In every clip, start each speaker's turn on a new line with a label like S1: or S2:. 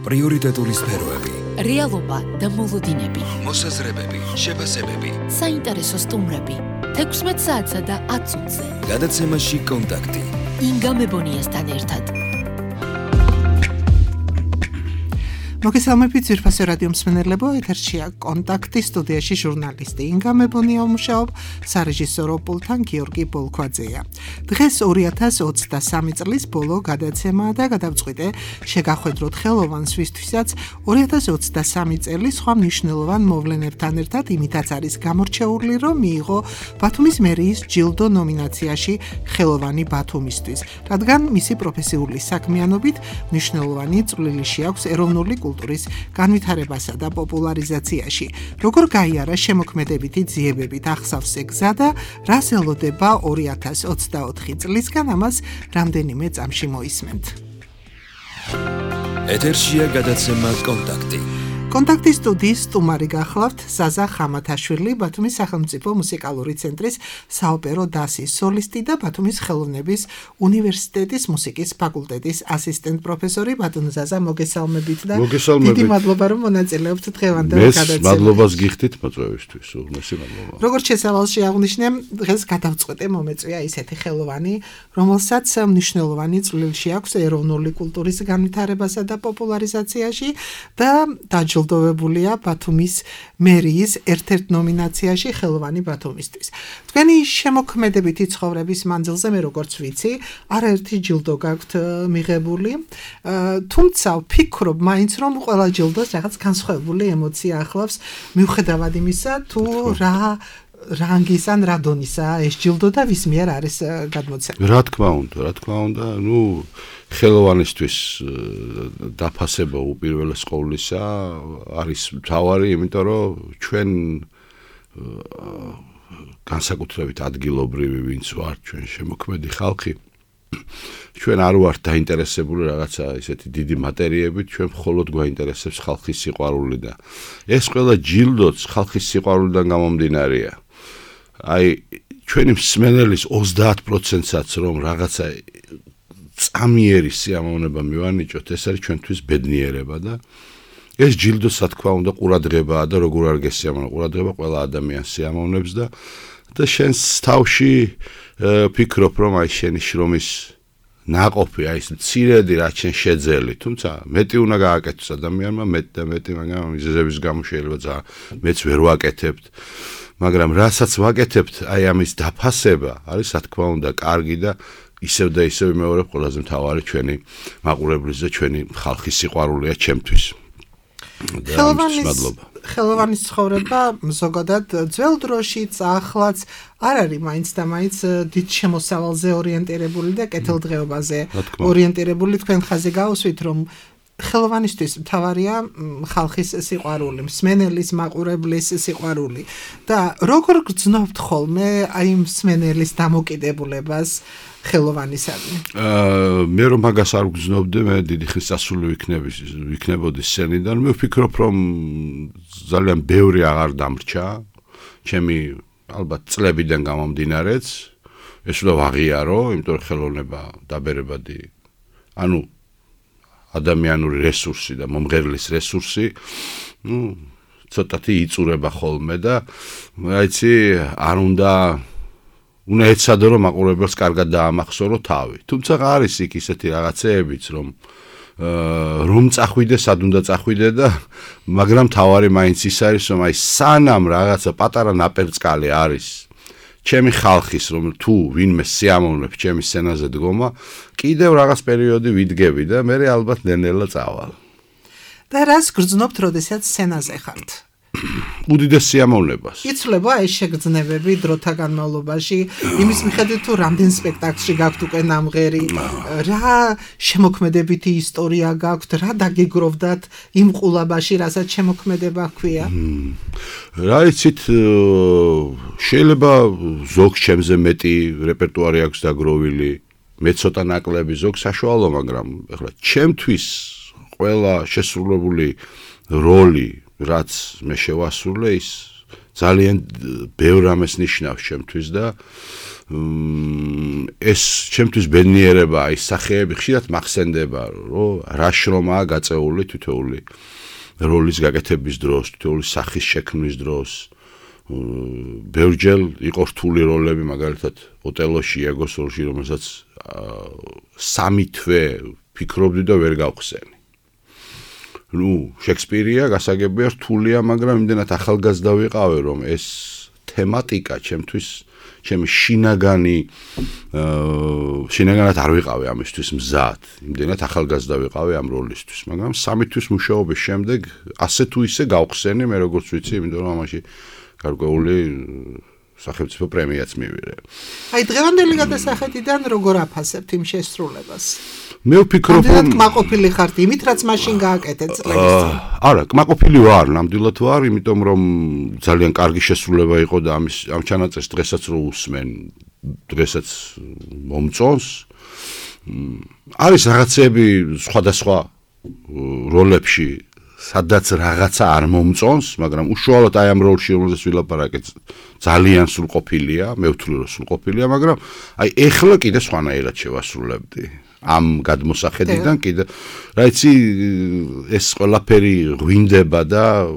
S1: პრიორიტეტული სფეროები,
S2: რეალობა და მოლოდინები,
S1: მოსაზრებები, შეფასებები,
S2: საინტერესო სტუმრები, 16 საათსა და 10 წუთზე.
S1: გადაცემაში კონტაქტი.
S2: ინგა მებონიასთან ერთად.
S3: მოგესალმებით ძვირფასო რადიო მსმენელებო, ეთერშია კონტაქტი, სტუდიაში ჟურნალისტი ინგა მებონია მუშაობ, სარეჟისორო პულტთან გიორგი ბოლქვაძეა. დღეს 2023 წლის ბოლო გადაცემაა და გადავწყვიტე შეგახვედროთ ხელოვანს, ვისთვისაც 2023 წელი სხვა მნიშვნელოვან მოვლენებთან ერთად იმითაც არის გამორჩეული, რომ მიიღო ბათუმის მერიის ჯილდო ნომინაციაში ხელოვანი ბათუმისთვის, რადგან მისი პროფესიული საქმიანობით მნიშვნელოვანი წვლილი შეაქვს ეროვნული კულტურის განვითარებასა და პოპულარიზაციაში. როგორ გაიარა შემოქმედებითი ძიებებით ახსავს გზა და რას ელოდება 2024 წლისგან, ამას რამდენიმე წამში მოისმენთ.
S1: ეთერშია გადაცემა კონტაქტი.
S3: კონტაქტის სტუდიის სტუმარი გახლავთ ზაზა ხამათაშვილი, ბათუმის სახელმწიფო მუსიკალური ცენტრის საოპერო დასის სოლისტი და ბათუმის ხელოვნების უნივერსიტეტის მუსიკის ფაკულტეტის ასისტენტ პროფესორი. ბატონო ზაზა, მოგესალმებით და დიდი მადლობა, რომ მონაწილეობთ დღევანდელ გადაცემაში.
S4: მადლობას გიხდით მოწვევისთვის, უღმესი მადლობა.
S3: როგორც შესავალში აღვნიშნე, დღეს გადავწყვეტე მომეწვია ისეთი ხელოვანი, რომელსაც მნიშვნელოვანი წვლილი შეაქვს ეროვნული კულტურის განვითარებასა და პოპულარიზაციაში და დაჯილდოვებულია ბათუმის მერიის ერთ-ერთ ნომინაციაში ხელოვანი ბათუმისთვის. თქვენი შემოქმედებითი ცხოვრების მანძილზე მე როგორც ვიცი, არაერთი ჯილდო გაქვთ მიღებული, თუმცა ვფიქრობ მაინც რომ ყველა ჯილდოს რაღაც განსხვავებული ემოცია ახლავს, მიუხედავად იმისა, თუ რა რანგის ან რა დონისაა ეს ჯილდო და ვის მიერ არის გადმოცემული.
S4: რა თქმა უნდა, ხელოვანისთვის დაფასება უპირველეს ყოვლისა არის მთავარი, იმიტომ რომ ჩვენ განსაკუთრებით ადგილობრივი ვინც ვართ, ჩვენ შემოქმედი ხალხი, ჩვენ არ ვართ დაინტერესებული რაღაცა ისეთი დიდი მატერიებით, ჩვენ მხოლოდ გვაინტერესებს ხალხის სიყვარული და ეს ყველა ჯილდოც ხალხის სიყვარულიდან გამომდინარეა. აი ჩვენი მსმენელის 30%-საც რომ რაღაცა წამიერი სიამოვნება მივანიჭოთ, ეს არის ჩვენთვის ბედნიერება და ეს ჯილდო სათქმა უნდა ყურადღებაა და როგორ არ გესიამოვნება, ყურადღება ყველა ადამიანს სიამოვნებს და შენს თავში ფიქრობ რომ აი შენი შრომის ნაყოფი, აი ეს მცირედი რაც შენ შეძელი, თუმცა მეტი უნდა გააკეთოს ადამიანმა, მეტი, მაგრამ მიზეზების გამო შეიძლება მეც ვერ ვაკეთებთ. მაგრამ რასაც ვაკეთებთ, აი ამის დაფასება არის სათქმა უნდა კარგი და ისევ და ისევ მეორე ყველაზე მთავარი ჩვენი მაყურებლის და ჩვენი ხალხის სიყვარულია ჩემთვის.
S3: ხელოვანის ცხოვრება ზოგადად ძველ დროშიც, ახლაც არ არის მაინც და მაინც დიდ შემოსავალზე ორიენტირებული და კეთილდღეობაზე ორიენტირებული. თქვენ ხაზი გაუსვით, რომ ხელოვანისთვის მთავარია ხალხის სიყვარული, მსმენელის, მაყურებლის სიყვარული და როგორ გრძნობთ ხოლმე აი მსმენელის დამოკიდებულებას ხელოვანისადმი?
S4: მე რომ მაგას არ გრძნობდი, მე დიდი ხნის წასული ვიქნებოდი სცენიდან, მე ვფიქრობ რომ ძალიან ბევრი აღარ დამრჩა, ჩემი ალბათ წლებიდან გამომდინარეც, ეს უნდა ვაღიარო, იმიტომ რომ ხელოვნება დაბერებადი, ანუ ადამიანური რესურსი და მომღერლის რესურსი, ცოტათი იწურება ხოლმე და აიცი არ უნდა ეცადო რომ მაყურებელს კარგად დაამახსოვრო თავი. თუმცა არის იქ ისეთი რაღაცეებიც რომ წახვიდე, სად უნდა წახვიდე და მაგრამ თავარი მაინც ის არის რომ აი სანამ რაღაცა პატარა ნაპერწკალი არის ჩემი ხალხის რომ თუ ვინმე სიამოვნებს ჩემი სცენაზე დგომა, კიდევ რაღაც პერიოდი ვიდგები და მე ალბათ ნელ-ნელა წავალ.
S3: და რას გრძნობთ, როდესაც სცენაზე ხართ?
S4: უდიდეს სიამოვნებას.
S3: იცვლება ეს შეგრძნებები დროთა განმავლობაში, იმის მიხედვით თუ რამდენ სპექტაკლში გაქვთ უკვე ნამღერი, რა შემოქმედებითი ისტორია გაქვთ, რა დაგეგროვდათ იმ ყულაბაში, რასაც შემოქმედება ჰქვია?
S4: რა იცით, შეიძლება ზოგს ჩემზე მეტი რეპერტუარი აქვს დაგროვილი, მე ცოტა ნაკლები, ზოგს საშუალო, მაგრამ ეხლა ჩემთვის ყველა შესრულებული როლი რაც მე შევასრულე, ის ძალიან ბევრ ამას ნიშნავს ჩემთვის და ეს ჩემთვის ბედნიერება, აი სახეები ხშირად მახსენდება, რომ რა შრომაა გაწეული თითოეული როლის გაკეთების დროს, თითოეული სახის შექმნის დროს. ბევრჯერ იყო რთული როლები, მაგალითად, ოტელოში, იაგოს როლში, რომელსაც 3 თვე ფიქრობდი და ვერ გავხსენი. შექსპირია გასაგებია რთულია, მაგრამ იმდენად ახალგაზრდა ვიყავი, რომ ეს თემატიკა ჩემთვის ჩემი შინაგანად არ ვიყავი ამისთვის მზად. იმდენად ახალგაზრდა ვიყავი ამ როლისთვის, მაგრამ 3 თვის მუშაობის შემდეგ ასე თუ ისე გავხსენი, მე როგორც ვიცი, იმიტომ რომ ამაში გარკვეული სახელმწიფო პრემიაც მივიღე.
S3: აი დღევანდელი გადასახედიდან როგორ აფასებთ იმ შესრულებას?
S4: მე ვფიქრობ,
S3: რომ კმაყოფილი ხართ იმით, რაც მაშინ გააკეთეთ წლების წინ.
S4: არა, კმაყოფილი ვარ, ნამდვილად ვარ, იმიტომ რომ ძალიან კარგი შესრულება იყო და ამ ჩანაწერს დღესაც რო უსმენ, დღესაც მომწონს. არის რაღაცები სხვადასხვა როლებში, სადაც რაღაცა არ მომწონს, მაგრამ უშუალოდ აი ამ როლში რომელზეც ვილაპარაკეთ, ძალიან სრულყოფილია, მე ვთვლი რომ სრულყოფილია, მაგრამ აი ეხლა კიდე სხვანაირად შევასრულებდი. ამ გადმოსახედიდან კიდე რა იცი ეს ყველაფერი ღვინდება და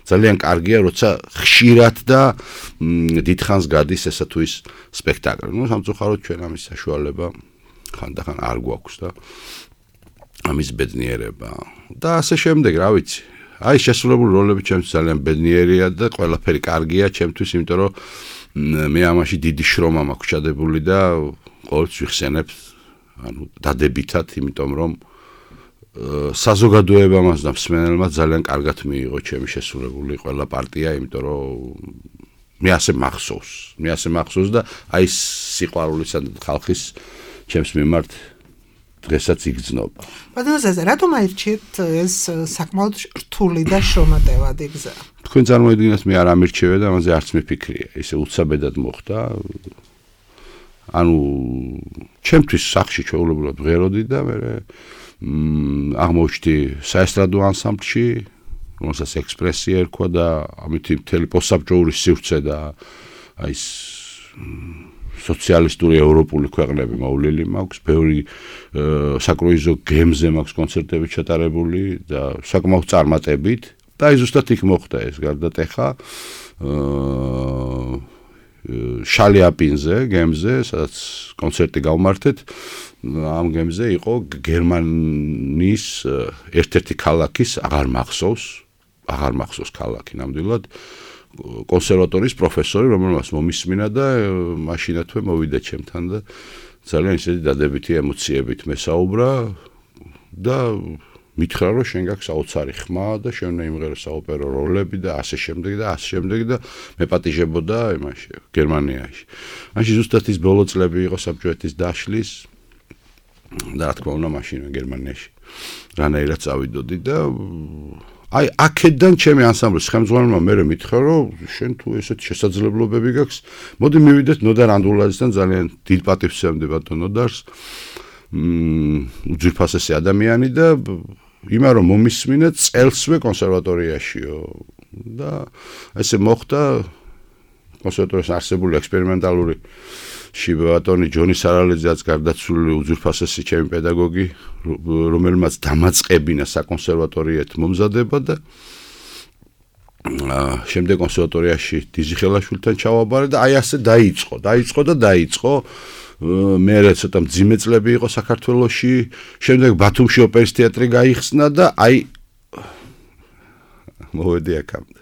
S4: ძალიან კარგია როცა ხშირად და დიდხანს გადის ესა თუ ის სპექტაკლი. სამწუხაროდ ჩვენ ამის საშუალება ხანდახან არ გვაქვს და ამის ბედნიერება და ასე შემდეგ, რა ვიცი. აი შესრულებული როლები ჩემთვის ძალიან ბედნიერია და ყველაფერი კარგია ჩემთვის, იმიტომ რომ მე ამაში დიდი შრომა მაქვს ჩადებული და ყოველთვის ვიხსენებ დადებითად, იმიტომ რომ საზოგადოებამ და მსმენელმა ძალიან კარგად მიიღო ჩემი შესრულებული ყველა პარტია, იმიტომ რომ მე ასე მახსოვს და აი სიყვარულისა ხალხის ჩემს მიმართ დღესაც იგრძნობა.
S3: ბატონო, რატომ აირჩიეთ ეს საკმაოდ რთული და შრომატევადი გზა?
S4: თქვენ წარმოიდგინეთ, მე არ ამირჩევე და ამაზე არც მიფიქრია. ისე უცაბედად მოხდა. ანუ ჩემთვის სახში ჩვეულებრივად ვღეროდი და მე აღმოჩნდი საესტრადო ანსამბლში, რომელსაც ექსპრესია ერქვა და ამით მთელი პოსტსაბჭოური სივრცე და აი სოციალისტური ევროპული ქვეყნები მოვლილი მაქვს, ბევრი საკრუიზო გემზე მაქვს კონცერტები ჩატარებული და საკმაოდ წარმატებით და აი ზუსტად იქ მოხდა ეს გარდატეხა შალიაპინზე, გემზე, სადაც კონცერტი გავმართეთ. ამ გემზე იყო გერმანიის ერთ-ერთი ქალაქის, აღარ მახსოვს ქალაქი ნამდვილად, კონსერვატორიის პროფესორი, რომელმაც მომისმინა და მაშინათვე მოვიდა ჩემთან და ძალიან ისეთი დადებითი ემოციებით მესაუბრა და მითხრა რომ შენ გაქვს საოცარი ხმა და შენ უნდა იმღერო საოპერო როლები და ასე შემდეგ და მეპატიჟებოდა იმაში გერმანიაში. მაშინ ზუსტად ის ბოლო წლები იყო საბჭოეთის დაშლის და რა თქმა უნდა მაშინ გერმანიაში რანაირად წავიდოდი და აი აქედან ჩემი ანსამბლის ხელმძღვანელმა მე მითხრა რომ შენ თუ ესეთი შესაძლებლობები გაქვს, მოდი მივიდეთ ნოდარ ანდულაძესთან, ძალიან დიდ პატივს ვსცემდი ბატონ ნოდარს. უძვირფასესი ადამიანი და იმან რომ მომისმინე წელსვე კონსერვატორიაშიო და ესე მოხდა კონსერვატორიის არსებული ექსპერიმენტალური ბატონი ჯონი სარალიძეაც გარდაცვლილი უძვირფასესი ჩემი პედაგოგი, რომელმაც დამაწყებინა საკონსერვატორიეთ მომზადება და შემდეგ კონსერვატორიაში დიზიხელაშვილთან ჩავაბარე და აი ასე დაიწყო მე ცოტა მძიმე წლები იყო საქართველოში, შემდეგ ბათუმში ოპერის თეატრი გაიხსნა და აი მოვედი აქამდე.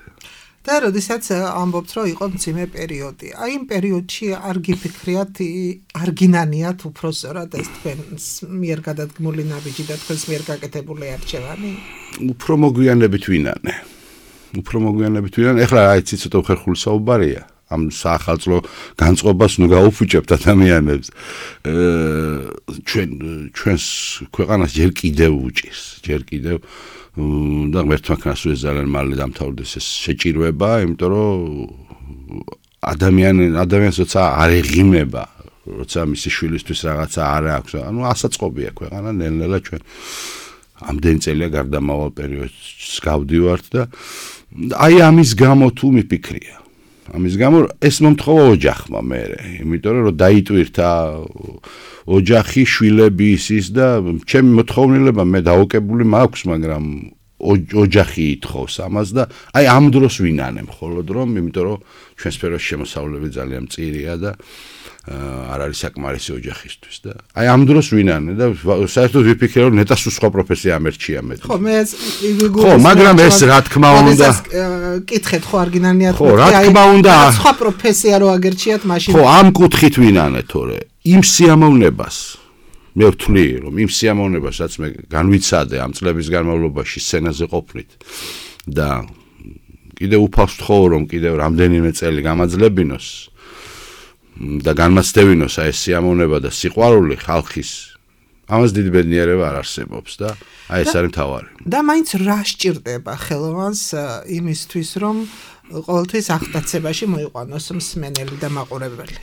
S3: და როდესაც ამბობთ, რომ იყო მძიმე პერიოდი, აი იმ პერიოდში არ გიფიქრიათ, არ გინანიათ უფრო სწორად ეს თქვენს მიერ გადადგმული ნაბიჯი და თქვენს მიერ გაკეთებული არჩევანი?
S4: უფრო მოგვიანებით ვინანე. ეხლა აი ცოტა უხერხული საუბარია. ამ საახალწლო განწყობას ნუ გაუფუჭებთ ადამიანებს. ჩვენს ქვეყანას ჯერ კიდევ უჭირს, და მერთმანქანას ეს ძალიან მალე დამთავრდეს ეს შეჭირვება, იმიტომ რომ ადამიანს როცა არ ეღიმება, როცა მისი შვილისთვის რაღაცა არ აქვს, ანუ ასაწყობია ქვეყანა ნელ-ნელა ჩვენ ამდენი წელია გარდამავალ პერიოდს გავდივართ და აი ამის გამო თუ მიფიქრია. ამის გამო ეს მომთხოვა ოჯახმა მე, იმიტომ რომ დაიტვირთა ოჯახი, შვილები ის და ჩემი მოთხოვნილება მე დაუკებული მაქვს, მაგრამ ოჯახი ითხოვს ამას და აი ამ დროს ვინანე მხოლოდ რომ, იმიტომ რომ ჩვენ სფეროში შემოსავლები ძალიან მწირია და არ არის საკმარისი ოჯახისთვის და აი ამ დროს ვინანე და საერთოდ ვიფიქრე რომ ნეტას სხვა პროფესია ამერჩია მე.
S3: ხო, მე
S4: ხო, მაგრამ ეს რა თქმა უნდა
S3: კითხეთ ხო არ გინანიათ
S4: ხო, რა თქმა უნდა
S3: სხვა პროფესია რო აგერჩიათ მაშინ
S4: ხო, ამ კუთხით ვინანე თორე იმ სიამოვნებას მე ვთვლი რომ იმ სიამოვნებას რაც მე განვიცადე ამ წლების განმავლობაში სცენაზე ყოფნით და კიდევ უფალს ვთხოვ რომ კიდევ რამდენიმე წელი გამაძლებინოს და განმაცდევინოს აი ეს სიამოვნება და სიყვარული ხალხის ამას დიდი ბედნიერება არ არსებობს და აი ეს არის მთავარი.
S3: და მაინც რა სჭირდება ხელოვანს იმისთვის რომ ყოველთვის აღტაცებაში მოიყვანოს მსმენელი და მაყურებელი?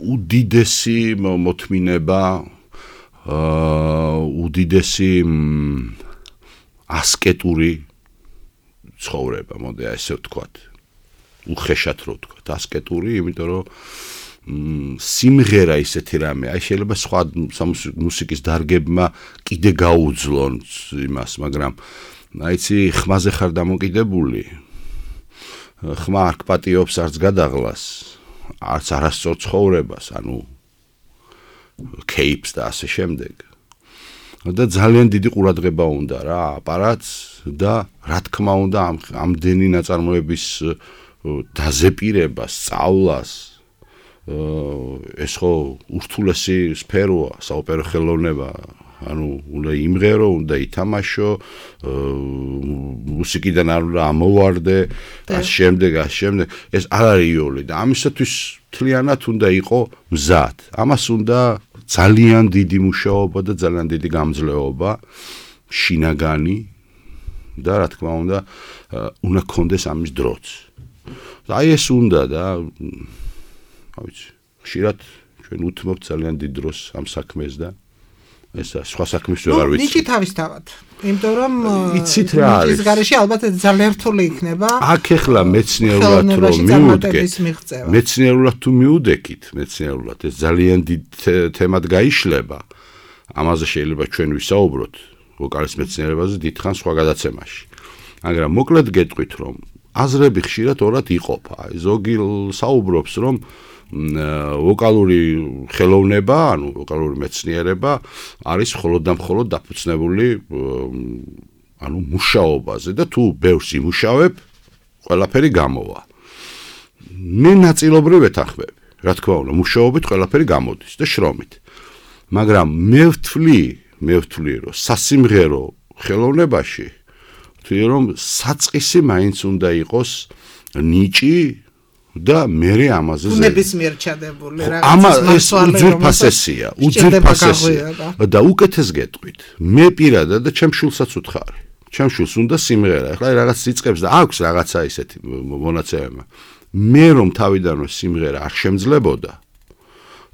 S4: უდიდესი მოთმინება, უდიდესი ასკეტური ცხოვრება, მოდი ასე ვთქვათ. უხეშად რო ვთქვათ, ასკეტური, იმიტომ რომ სიმღერა ისეთი რამე, აი შეიძლება სხვა მუსიკის დარგებმა კიდე გაუძლონ იმას, მაგრამ აიცი ხმაზე ხარ დამოკიდებული. ხმა არ გპატიობს არც გადაღლას, არც არასწორ ცხოვრებას, ანუ кейპს და ასე შემდეგ. და ძალიან დიდი ყურადღება უნდა რა, აპარატს და რა თქმა უნდა ამდენი ნაწარმოების დაზეპირებას, სწავლას ეს ხო ურთულესი სფეროა, საოპერო ხელოვნება, ანუ უნდა იმღერო, უნდა ითამაშო, მუსიკიდან არ უნდა ამოვარდე, ამ შემდეგ, ეს არ არის იოლი და ამისათვის მთლიანად უნდა იყო მზად. ამას უნდა ძალიან დიდი მუშაობა და ძალიან დიდი გამძლეობა, შინაგანი და რა თქმა უნდა უნდა გქონდეს ამის დროც. აი ეს უნდა და ავიცი, ხშირად ჩვენ უთმობთ ძალიან დიდ დროს ამ საქმეს და ეს სხვა საქმის ვეღარ ვიცი.
S3: ნიჭი თავისთავად. იმიტომ რომ
S4: იცით რა არის?
S3: ის გარეშე ალბათ ძალიან რთული იქნება.
S4: აქ ახლა მეცნიერულად რომ მიუდგეთ, მეცნიერულად თუ მიუდეკით, მეცნიერულად ეს ძალიან დიდ თემად გაიშლება. ამაზე შეიძლება ჩვენ ვისაუბროთ ვოკალის მეცნიერებაზე დიდხანს სხვა გადაცემაში. მაგრამ მოკლედ გეტყვით რომ აზრები ხშირად ორად იყოფა. ზოგი საუბრობს რომ ვოკალური ხელოვნება, ანუ ვოკალური მეცნიერება არის მხოლოდ და მხოლოდ დაფუძნებული ანუ მუშაობაზე და თუ ბევრს იმუშავებ, ყველაფერი გამოვა. მე ნაწილობრივ ვეთანხმები. რა თქმა უნდა, მუშაობით ყველაფერი გამოდის და შრომით. მაგრამ მე ვთვლი, რომ სასიმღერო ხელოვნებაში ვთვლი, რომ საწყისი მაინც უნდა იყოს ნიჭი და მერე ამაზე
S3: ნებისმიერ ჩადებული რაღაცის
S4: უძვირფასესია და უკეთეს გეტყვით. მე პირადად და ჩემ შულსაც ვთხარი. ჩემ შულს უნდა სიმღერა. ახლა რაღაც იწყებს და აქვს რაღაცა ისეთი მონაცემება. მე რომ თავიდანვე სიმღერა არ შემძლებოდა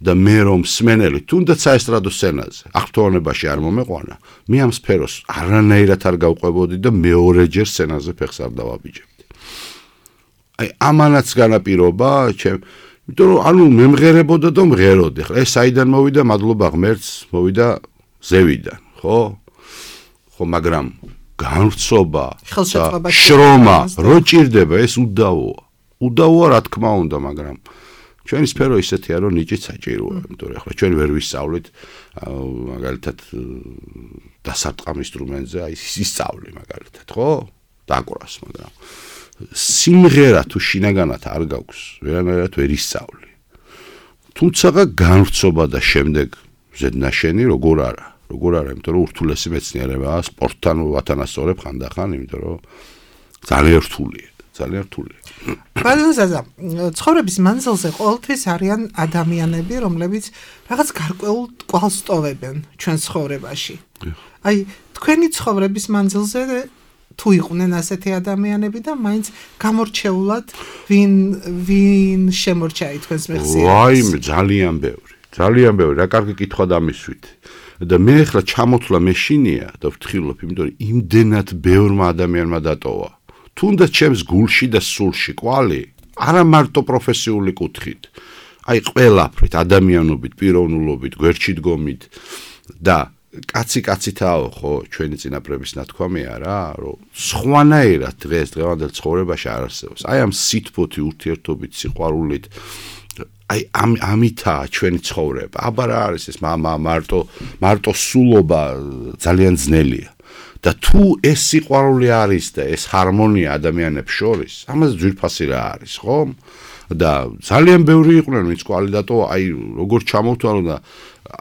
S4: და მე რომ მსმენელი თუნდაც საესტრადო სცენაზე აღფრთოვანებაში არ მომეყვანა, მე ამ სფეროს არანაირად არ გავყვებოდი და მეორეჯერ სცენაზე ფეხს არ დავაბიჯებდი. აი ამანაც განაპირობა, იმიტომ რომ ანუ მემღერებოდა და მღეროდი. ხა ეს საიდან მოვიდა, მადლობა ღმერთს, მოვიდა ზევიდან, ხო? ხო, მაგრამ განვრცობა, შრომა, რო ჭირდება, ეს უდავოა. უდავოა რა თქმა უნდა, მაგრამ ჩვენი სფერო ისეთია, რომ ნიჭიც საჭიროა, იმიტომ რომ ახლა ჩვენ ვერ ვისწავლით, მაგალითად დასარტყამ ინსტრუმენტზე, აი ისწავლი მაგალითად, ხო? დაკვრას, მაგრამ სიმღერა თუ შინაგანად არ გაქვს, ვერანაირად ვერ ისწავლი. თუმცა განვრცობა და შემდეგ ზედნაშენი როგორ არა, იმიტომ რომ ურთულესი მეცნიერებაა, სპორტთან ვათანასწორებ ხანდახან, იმიტომ რომ ძალიან რთულია.
S3: ბალანსაზა, ცხოვრების მანძილზე ყოველთვის არიან ადამიანები, რომლებიც რაღაც გარკვეულ კვალს ტოვებენ ჩვენ ცხოვრებაში. აი, თქვენი ცხოვრების მანძილზე თუ იყვნენ ასეთი ადამიანები და მაინც გამორჩეულად ვინ შემორჩა თქვენს მეხსიერებას?
S4: ვაიმე, ძალიან ბევრი, რა კარგი კითხვა დამისვით. და მე ახლა ჩამოთვლა მეშინია და ვთხილობ, იმიტომ რომ იმდენად ბევრმა ადამიანმა დატოვა. თუნდაც ჩემს გულში და სულში კვალი, არა მარტო პროფესიული კუთხით, აი ყველაფრით, ადამიანობით, პიროვნულობით, გვერდში დგომით და კაცი-კაცითაო ხო ჩვენი წინაპრების ნათქვამია რა, რომ სხვანაირად დღევანდელ ცხოვრებაში არ არსებობს. აი ამ სითბოთი, ურთიერთობით, სიყვარულით აი ამითაა ჩვენი ცხოვრება. აბა რა არის ეს მარტო სულობა ძალიან ძნელია. და თუ ეს სიყვარული არის და ეს ჰარმონია ადამიანებს შორის, ამაზე ძვირფასი რა არის, ხო? და ძალიან ბევრი იყვნენ, ვინც კვალიდატო, აი როგორ ჩამოვთვალო და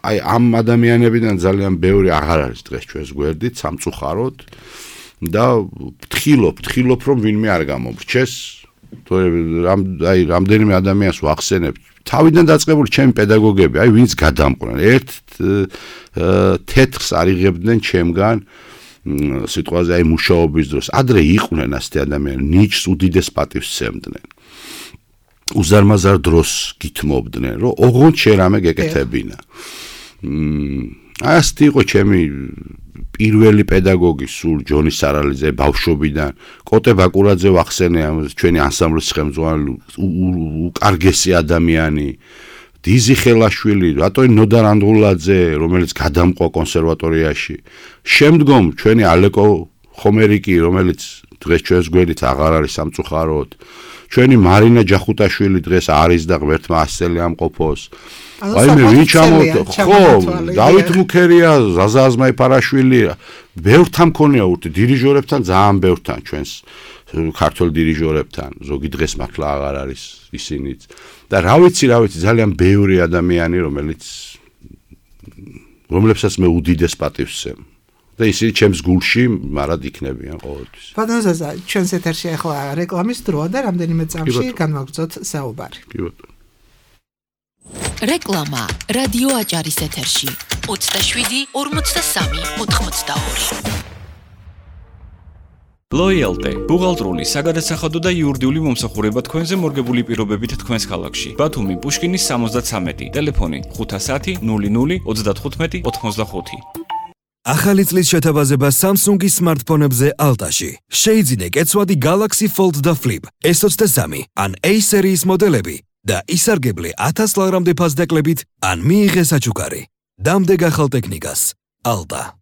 S4: აი ამ ადამიანებიდან ძალიან ბევრი აღარ არის დღეს ჩვენს გვერდით, სამწუხაროდ და ვთხრილობ, რომ ვინმე არ გამობრჩეს. აი რამდენიმე ადამიანს ვახსენებ, თავიდან დაწყებული ჩემი პედაგოგები, აი ვინც გადამყვნენ, ერთ თეთრს არიღებდნენ ჩემგან სიტყვაზე აი მუშაობის დროს. ადრე იყვნენ ასეთი ადამიანები, ნიჭს უდიდეს პატივს სცემდნენ. უზარმაზარ დროს გითმობდნენ, რომ ოღონდ შენ რამე გეკეთებინა. ასეთი იყო ჩემი პირველი პედაგოგი სულ ჯონი სარალიძე ბავშვობიდან, კოტე ბაკურაძე ვახსენე ჩვენი ანსამბლის ხელმძღვანელი, უკარგესი ადამიანი, დიზი ხელაშვილი, რატო ნოდარ ანდღულაძე, რომელიც გადამყვა კონსერვატორიაში. შემდგომ ჩვენი ალეკო ხომერიკი, რომელიც დღეს ჩვენს გვერდით აღარ არის სამწუხაროდ. ჩვენი მარინა ჯახუტაშვილი დღეს არის და ღმერთმა ასწელი ამყოფოს. აი მე ვინ ჩამოვთო, ხო, დავით მუქერია, ზაზა აზმაიფარაშვილი, ბევრთან მქონია ურთი დირიჟორებთან, ძალიან ბევრთან ჩვენს ქართულ დირიჟორებთან, ზოგი დღეს მართლა აღარ არის ისინიც. და რა ვიცი, ძალიან ბევრი ადამიანი, რომლებსაც მე უდიდეს პატივს ვსემ. და ისინი ჩემს გულში მარად იქნებიან ყოველთვის.
S3: ბატონო ზაზა, ჩვენს ეთერში ახლა რეკლამის დროა და რამდენიმე წამში განვაგრძოთ საუბარი.
S4: კი ბატონო.
S2: რეკლამა რადიო აჭარის ეთერში 27 43 82.
S5: Loyalty ბუღალტრული, საგადასახადო და იურიდიული მომსახურება თქვენზე მორგებული პირობებით თქვენს ქალაქში. ბათუმი, პუშკინის 73, ტელეფონი 510 00 35 85.
S1: ახალი წლის შეთავაზება Samsung-ის smartphone-ებზე Alta-ში. შეიძინე კეცვადი Galaxy Fold და Flip S23 ან A სერიის მოდელები და ისარგებლე 1000 ლარამდე ფასდაკლებით ან მიიღე საჩუქარი. დამდეგ ახალ ტექნიკას. Alta.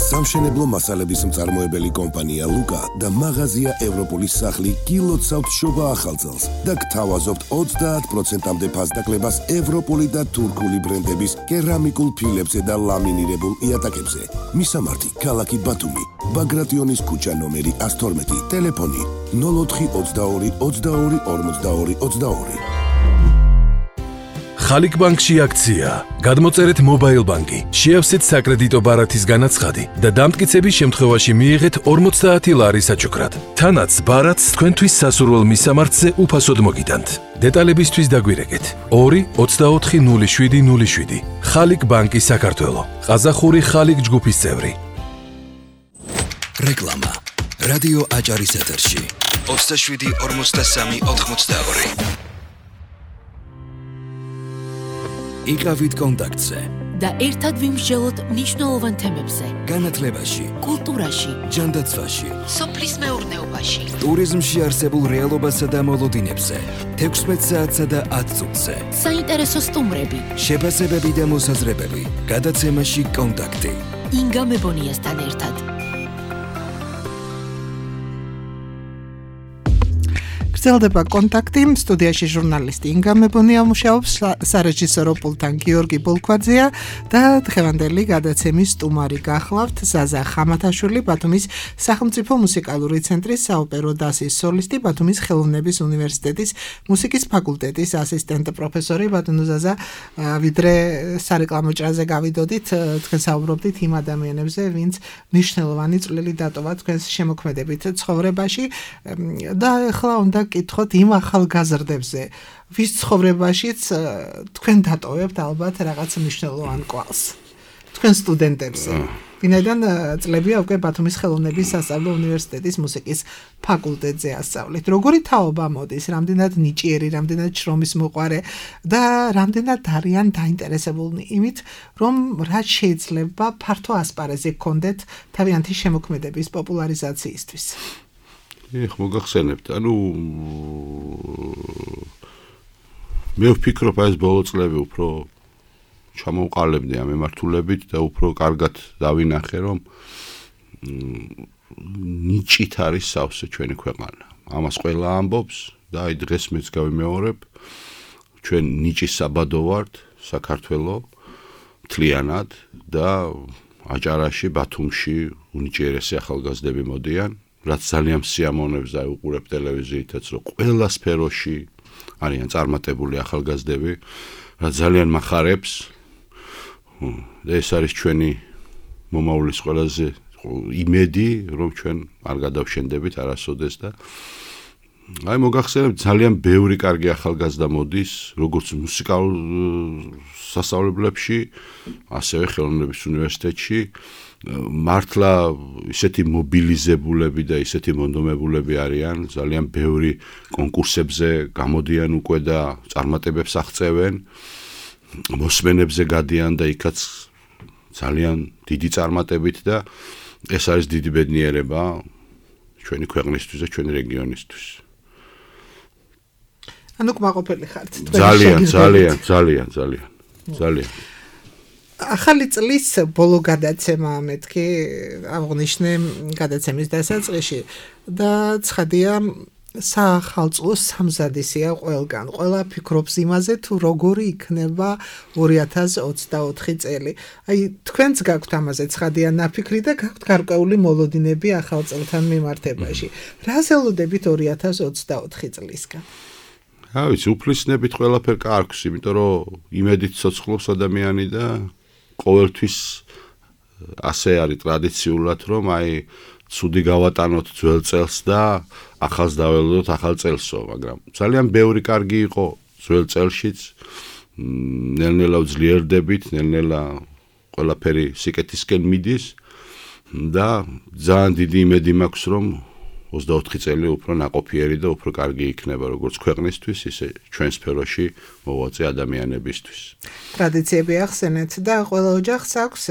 S6: სამშენებლო მასალების მწარმოებელი კომპანია ლუკა და მაღაზია ევროპოლის სახლი გილოცავთ შობა ახალწელს და გთავაზობთ 30%-მდე ფასდაკლებას ევროპული და თურქული ბრენდების კერამიკულ ფილებზე და ლამინირებულ იატაკებზე. მისამართი ქალაქი ბათუმი, ბაგრატიონის ქუჩა ნომერი 112, ტელეფონი 0422 22 42 22.
S7: ხალიქ ბანკში აქცია. გადმოწერეთ მობაილ ბანკი, შეავსეთ საკრედიტო ბარათის განაცხადი და დამტკიცების შემთხვევაში მიიღეთ 50 ლარი საჩუქრად. თანაც ბარათს თქვენთვის სასურველ მისამართზე უფასოდ მოგიტანთ. დეტალებისთვის დაგვირეკეთ 2 24 07 07. ხალიქ ბანკი საქართველო. ყაზახური ხალიქ ჯგუფის წევრი.
S1: რეკლამა რადიო აჭარის ეთერში 27 43 82. იყავით კონტაქტზე
S2: და ერთად ვიმსჯელოთ მნიშვნელოვან თემებზე.
S1: განათლებაში,
S2: კულტურაში,
S1: ჯანდაცვაში,
S2: სოფლის მეურნეობაში,
S1: ტურიზმში არსებულ რეალობასა და მოლოდინებზე, 16 საათსა და 10 წუთზე.
S2: საინტერესო სტუმრები,
S1: შეფასებები და მოსაზრებები. გადაცემაში კონტაქტი.
S2: ინგა მებონიასთან ერთად.
S3: გრძელდება კონტაქტი, სტუდიაში ჟურნალისტი ინგა მებონია მუშაობს, სარეჟისორო პულტთან გიორგი ბოლქვაძეა და დღევანდელი გადაცემის სტუმარი გახლავთ ზაზა ხამათაშვილი, ბათუმის სახელმწიფო მუსიკალური ცენტრის საოპერო დასის სოლისტი, ბათუმის ხელოვნების უნივერსიტეტის მუსიკის ფაკულტეტის ასისტენტი პროფესორი. ბატონო ზაზა, ვიდრე სარეკლამო ჭრაზე გავიდოდით, თქვენ საუბრობდით იმ ადამიანებზე, ვინც მნიშვნელოვანი წვლილი დატოვა თქვენს შემოქმედებით ცხოვრებაში და ახლა უნდა კითხოთ იმ ახალგაზრდებზე, ვის ცხოვრებაშიც თქვენ დატოვებთ ალბათ რაღაც მნიშვნელოვან კვალს. თქვენ სტუდენტებზე. ვინაიდან წლებია უკვე ბათუმის ხელოვნების სასწავლო უნივერსიტეტის მუსიკის ფაკულტეტზე ასწავლეთ. როგორი თაობა მოდის, რამდენად ნიჭიერი, რამდენად შრომის მოყვარე და რამდენად არიან დაინტერესებულნი იმით, რომ რაც შეიძლება ფართო ასპარეზი გქონდეთ თავიანთი შემოქმედების პოპულარიზაციისთვის.
S4: მოგახსენებთ, მე ვფიქრობ, ეს ბოლო წლები უფრო ჩამოვყალიბდი ამ მემართულებით და უფრო კარგად დავინახე, რომ ნიჭით არის სავსე ჩვენი ქვეყანა. ამას ყველა ამბობს და აი დღეს მეც გავიმეორებ, ჩვენ ნიჭის საბადო ვართ, საქართველო, მთლიანად და აჭარაში, ბათუმში უნიჭიერესი ახალგაზრდები მოდიან, რაც ძალიან სიამოვნებს და უყურებ ტელევიზიითაც, რომ ყველა სფეროში არიან წარმატებული ახალგაზრდები, რაც ძალიან მახარებს. და ეს არის ჩვენი მომავლის ყველაზე იმედი, რომ ჩვენ არ გადავშენდებით არასოდეს და აი მოგახსენებთ, ძალიან ბევრი კარგი ახალგაზრდა მოდის, როგორც მუსიკალურ სასწავლებლებში, ასევე ხელოვნების უნივერსიტეტში. მართლა ისეთი მობილიზებულები და ისეთი მონდომებულები არიან, ძალიან ბევრი კონკურსებზე გამოდიან უკვე და წარმატებებს აღწევენ. მოსმენებზე გადიან და იქაც ძალიან დიდი წარმატებით და ეს არის დიდი ბედნიერება ჩვენი ქვეყნისთვის და ჩვენი რეგიონისთვის.
S3: ანუ კმაყოფილი ხართ
S4: ძალიან.
S3: ახალი წლის ბოლო გადაცემა მეთქი აღნიშნე გადაცემის დასაწყისში და ცხადია სახალწლო სამზადისია ყველგან. ყველა ფიქრობს იმაზე, თუ როგორი იქნება 2024 წელი. აი, თქვენც გაქვთ ამაზე ცხადია ნაფიქრი და გაქვთ გარკვეული მოლოდინები ახალ წელთან მიმართებაში. რას ელოდებით 2024 წლისგან?
S4: რა ვიცი, უფლისნებით ყველაფერ კარგს, იმიტომ რომ იმედით ცოცხლობს ადამიანი და ყოველთვის ასე არის ტრადიციულად, რომ აი ცუდი გავატანოთ ძველ წელს და ახალს დაველოდოთ ახალ წელსო, მაგრამ ძალიან ბევრი კარგი იყო ძველ წელშიც, ნელ-ნელა ვძლიერდებით, ნელ-ნელა ყველაფერი სიკეთისკენ მიდის და ძალიან დიდი იმედი მაქვს, რომ 24 წელი უფრო ნაყოფიერი და უფრო კარგი იქნება როგორც ქვეყნისთვის, ისე ჩვენ სფეროში მოვაწე ადამიანებისთვის.
S3: ტრადიციები ახსენეთ და ყველა ოჯახს აქვს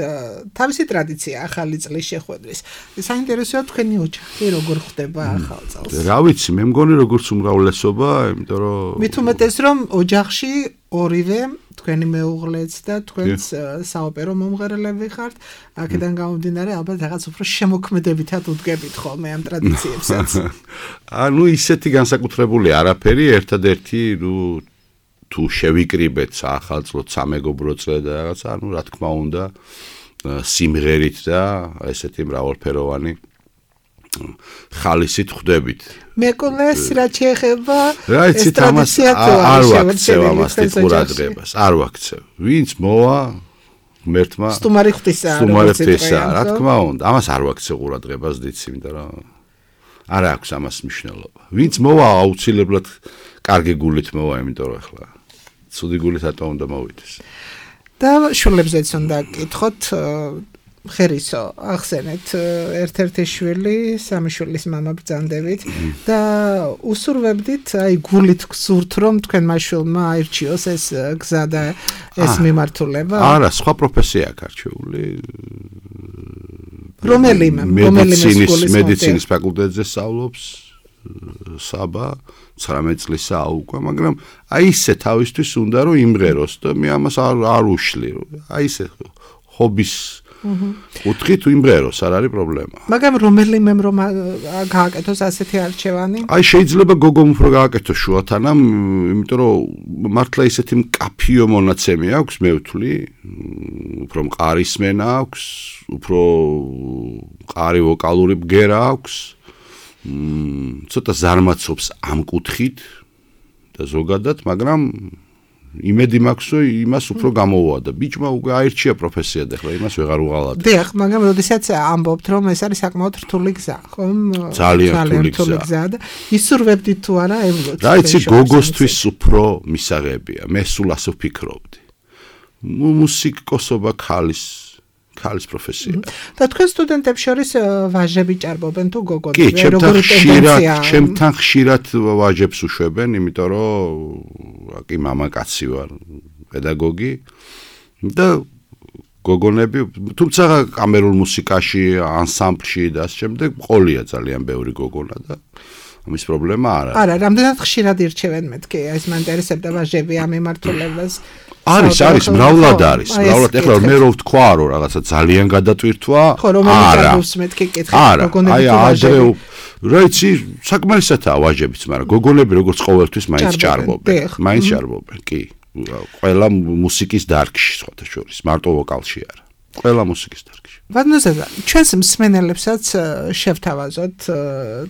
S3: თავისი ტრადიცია ახალი წლის შეხვედრის. საინტერესოა თქვენი ოჯახი როგორ ხვდება ახალ წელს?
S4: რა ვიცი, მე მგონი როგორც უმრავლესობა, იმიტომ რომ
S3: მით უმეტეს რომ ოჯახში ორივე თქვენი მეუღლეც და თქვენს საოპერო მომღერლები ხართ, აქედან გამომდინარე ალბათ რაღაც უფრო შემოქმედებითად უდგებით ხოლმე ამ ტრადიციებსაც.
S4: ანუ ისეთი განსაკუთრებული არაფერი, ერთადერთი, თუ შევიკრიბეთ ახალწლო სამეგობრო წლე და რაღაცა, ანუ რა თქმა უნდა, სიმღერით და ესეთი მრავალფეროვანი ხალისით ხვდებით.
S3: მეკონეს რა შეეხება
S4: ეს ტრადიცია არ ვაქცევ ამას ყურადღებას, არ ვაქცევ. ვინც მოვა ღმერთმა
S3: სტუმარი ღვთისა,
S4: რა თქმა უნდა, ამას არ ვაქცევ ყურადღებას დიცი, იმიტომ რომ არ აქვს ამას მნიშვნელობა. ვინც მოვა აუცილებლად კარგი გულით მოვა, იმიტომ რომ ახლა ცუდი გულით ატო უნდა მოვიდეს.
S3: და შვილებზეც უნდა გკითხოთ ხერისო, ახსენეთ ერთ-ერთი შვილი, სამი შვილის მამა ბრძანდებით და უსურვებდით, აი გულით გსურთ, რომ თქვენმა შვილმა აირჩიოს ეს გზა და ეს მიმართულება?
S4: არა, სხვა პროფესია აქვს არჩეული.
S3: რომელიმე
S4: მედიცინის ფაკულტეტზე სწავლობს საბა 19 წლისაა უკვე, მაგრამ აი ისე თავისთვის უნდა რომ იმღეროს და მე ამას არ უშლი, აი ისე ჰობის უთხით იმღეროს, არ არის პრობლემა.
S3: მაგრამ რომელიმე რომ გააკეთოს ასეთი არჩევანი?
S4: აი შეიძლება გოგომ უფრო გააკეთოს შუათანა, იმიტომ რომ მართლა ისეთი მკაფიო მონაცემი აქვს, მე ვთვლი, უფრო მყარი სმენა აქვს, უფრო მყარი ვოკალური ბგერა აქვს. ცოტა ზარმაცობს ამ კუთხით და ზოგადად, მაგრამ იმედი მაქვს, რომ იმას უფრო გამოვა და ბიჭმა უკვე აირჩია პროფესია და ახლა იმას ვეღარ უღალატებ.
S3: დიახ, მაგრამ როდესაც ამბობთ, რომ ეს არის საკმაოდ რთული გზა, ხომ?
S4: ძალიან რთული
S3: გზა და ისურვებდით თუ არა ევლოთ.
S4: რა იცი, გოგოსთვის უფრო მისაღებია. მე სულ ასე ვფიქრობდი. მუსიკოსობა ქალის პროფესია.
S3: და თქვენ სტუდენტებს შორის ვაჟები ჭარბობენ თუ გოგონები?
S4: კი, ჩემთან ხშირად ვაჟებს უშვებენ, იმიტომ რომ კი მამაკაცი ვარ, პედაგოგი და გოგონები, თუმცა კამერულ მუსიკაში, ანსამბლში და ამ შემდეგ ყოლია ძალიან ბევრი გოგონა და ამის პრობლემა არ არის.
S3: არა, რამდენად ხშირად ირჩევენ მეთქი, ეს მაინტერესებდა ვაჟები ამ მიმართულებას.
S4: არის, მრავლად არის. მრავლად ეხლა მე რო ვთქვა, რომ რაღაცა ძალიან გადატვირთვა,
S3: არა. მეთქი კითხე,
S4: გოგონები თუ ვაჟები. რა იცი, საკმარისათაა ვაჟებიც, მაგრამ გოგონები როგორც ყოველთვის მაინც ჭარბობენ, კი. ყველა მუსიკის დარგში, სხვათა შორის, მარტო ვოკალში არა. ყველა მუსიკის დარგში.
S3: ვადნოზედა, ჩვენს მსმენელებსაც შევთავაზოთ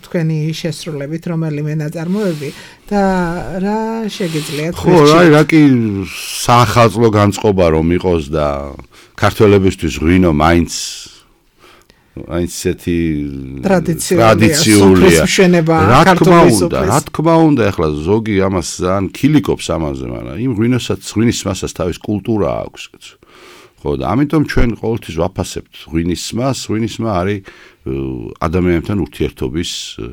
S3: თქვენი შესრულებით რომელიმე ნაწარმოები და რა შეგიძლიათ
S4: ხო, რა კი საახალწლო განწყობა რომ იყოს და ქართველებისთვის ღვინო მაინც ესეთი ტრადიციულია. რა თქმა უნდა, ახლა ზოგი ამას ძალიან ქილიკობს ამაზე, მაგრამ იმ ღვინის მასას თავის კულტურა აქვს. ხო და ამიტომ ჩვენ ყოველთვის ვაფასებთ ღვინის მას. ღვინისმა არის ადამიანებთან ურთიერთობის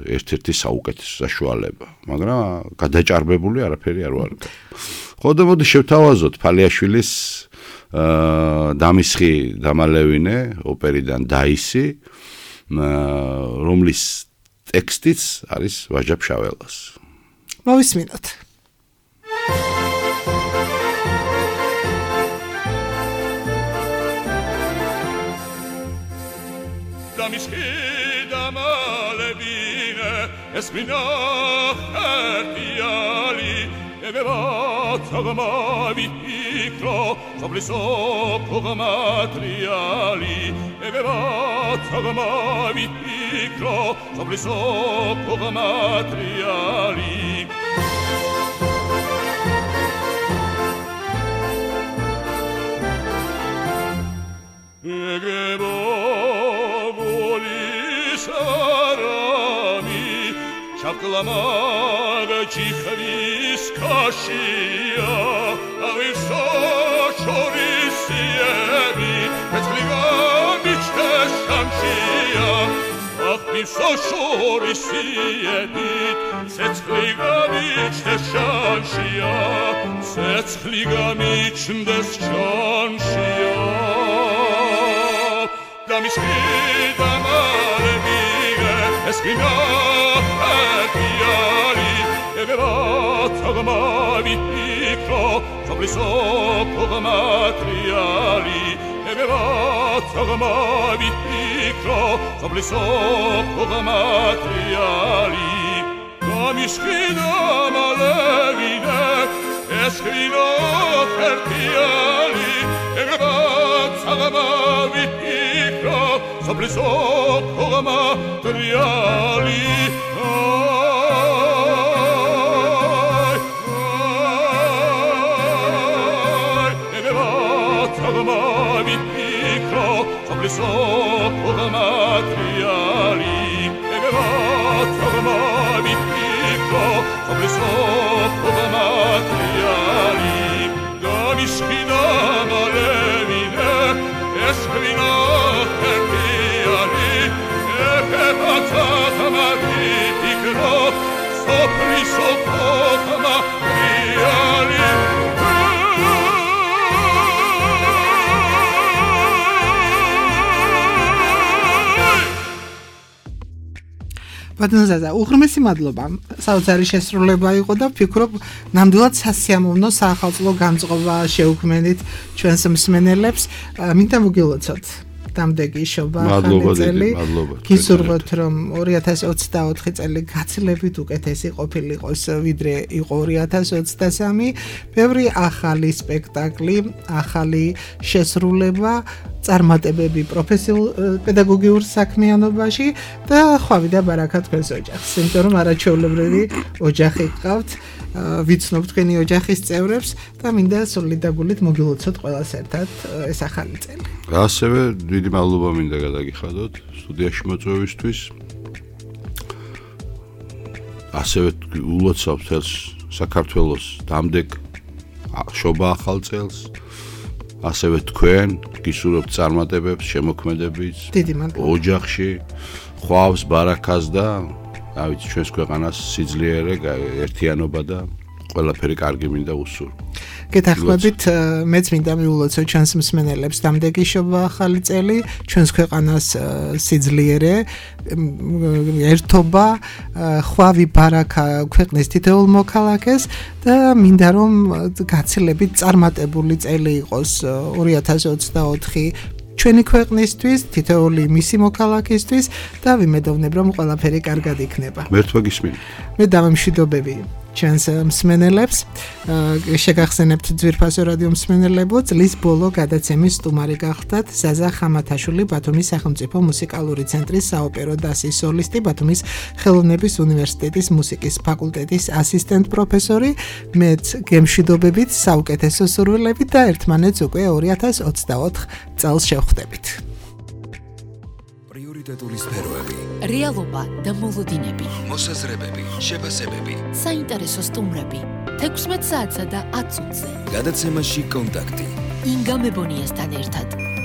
S4: ერთ-ერთი საუკეთესო საშუალება, მაგრამ გადაჭარბებული არაფერი არ ვარ. ხო და მოდი შევთავაზოთ ფალიაშვილის დამისხი დამალევინე ოპერიდან დაისი, რომლის ტექსტიც არის ვაჟა ფშაველას.
S3: მოვისმინოთ.
S8: Damishki damalevine esmina hertiali evevat agamavi ikro sobliso pogamatriali evevat agamavi ikro sobliso pogamatriali Шапкламага чихвис кашия, а вы со шорисиеби, Пецклигамичте шамшия, ах вы со шорисиеби, Пецклигамичте шамшия, Пецклигамичте шамшия, Дамишки дамалевиге, Эскина Evevat agamavi ikro, sobliso pogamatriali. Evevat agamavi ikro, sobliso pogamatriali. Damishkina malevine, eskrino fertiali. Evevat agamavi ikro, sobliso pogamatriali. So pogamatriali evevat agamavi ikro sobliso pogamatriali damishkina malevine eskrino fertiali evevat agamavi ikro sobliso pogamatriali
S3: ბატონზადა, უღრმესი მადლობა. საოცარი შესრულება იყო და ვფიქრობ, ნამდვილად სასიამოვნო საახალწლო განწყობა შეუქმნით ჩვენს მსმენელებს. მინდა მოგილოცოთ დამდეგი შობა ხანძელი. გისურვებთ, რომ 2024 წელი გაცილებით უკეთესი ყოფილიყოს, ვიდრე იყო 2023. ბევრი ახალი სპექტაკლი, ახალი შესრულება წარმატებები პროფესიულ პედაგოგიურ საქმიანობაში და ხვავი და ბარაკა თქვენს ოჯახს. იმიტომ რომ არაჩვეულებრივი ოჯახი გყავთ, ვიცნობ თქვენი ოჯახის წევრებს და მინდა სრული და გულით მოგილოცოთ ყველას ერთად ეს ახალი წელი.
S4: ასევე დიდი მადლობა მინდა გადაგიხადოთ სტუდიაში მოწვევისთვის. ასევე ულოცავ თელს საქართველოს დამდეგ შობა ახალ წელს. ასევე თქვენ გისურვებთ წარმატებებს, შემოქმედებით ოჯახში, ხვავს, ბარაკას და რა ვიცი, ჩვენს ქვეყანას სიძლიერე, ერთიანობა და ყველაფერი კარგი მინდა უსურვო.
S3: გეთახმებით მეც მინდა მიულოცო ჩვენს მსმენელებს დამდეგიშობა ახალი წელი, ჩვენს ქვეყანას სიძლიერე, ერთობა, ხვავი ბარაქა ქვეყნის თითოეულ მოქალაქეს და მინდა რომ გაცილებით წარმატებული წელი იყოს 2024 ჩვენი ქვეყნისთვის, თითოეული მისი მოქალაქისთვის და ვიმედოვნებ რომ ყველაფერი კარგად იქნება.
S4: მერთვა გისმინე.
S3: მე დამემშვიდობები ჩვენს მსმენელებს, შეგახსენებთ ძვირფასო რადიო მსმენელებო, წლის ბოლო გადაცემის სტუმარი გახდათ ზაზა ხამათაშვილი, ბათუმის სახელმწიფო მუსიკალური ცენტრის საოპერო დასის სოლისტი, ბათუმის ხელოვნების უნივერსიტეტის მუსიკის ფაკულტეტის ასისტენტ პროფესორი. მეც გემშვიდობებით, საუკეთესო სურვილებით და ერთმანეთს უკვე 2024 წელს შევხვდებით.
S1: პრიორიტეტული სფეროები,
S2: რეალობა და მოლოდინები,
S1: მოსაზრებები, შეფასებები,
S2: საინტერესო სტუმრები, 16 საათსა და 10 წუთზე.
S1: გადაცემაში კონტაქტი.
S2: ინგა მებონიასთან ერთად.